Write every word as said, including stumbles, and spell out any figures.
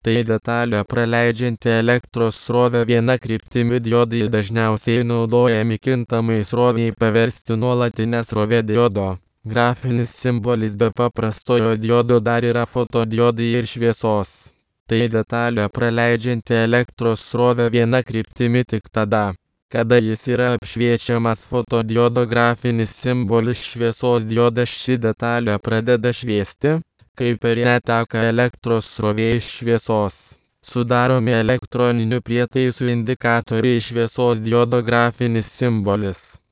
Tai detalė praleidžianti elektros srovę viena kryptimi. Diodai dažniausiai naudojami kintamai sroviai paversti nuolatinę srovę. Diodo grafinis simbolis. Be paprastojo diodo dar yra fotodiodai ir šviesos. Tai detalė praleidžianti elektros srovę viena kryptimi tik tada, kada jis yra apšviečiamas. Fotodiodo grafinis simbolis šviesos diodas. Ši detalė pradeda šviesti, kai per ją teka elektros srovė iš šviesos. Sudaromi elektroninių prietaisų indikatoriai. Šviesos diodo grafinis simbolis.